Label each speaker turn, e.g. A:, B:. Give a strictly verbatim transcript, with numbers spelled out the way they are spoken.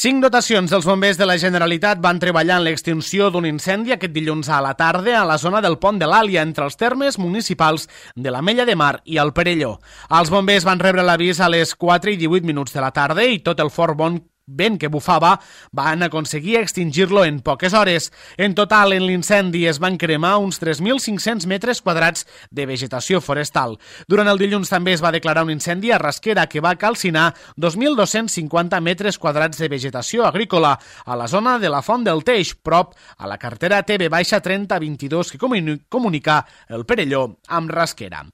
A: Cinc dotacions dels bombers de la Generalitat van treballar en l'extinció d'un incendi aquest dilluns a la tarda a la zona del Pont de l'Àlia, entre els termes municipals de l'Ametlla de Mar i el Perelló. Els bombers van rebre l'avís a les quatre i divuit minuts de la tarda i tot el fort bon vent que bufava van aconseguir extingir-lo en poques hores. En total, en l'incendi es van cremar uns tres mil cinc-cents metres quadrats de vegetació forestal. Durant el dilluns també es va declarar un incendi a Rasquera que va calcinar dos mil dos-cents cinquanta metres quadrats de vegetació agrícola a la zona de la Font del Teix, prop a la carretera T B trenta vint-i-dos que comunica el Perelló amb Rasquera.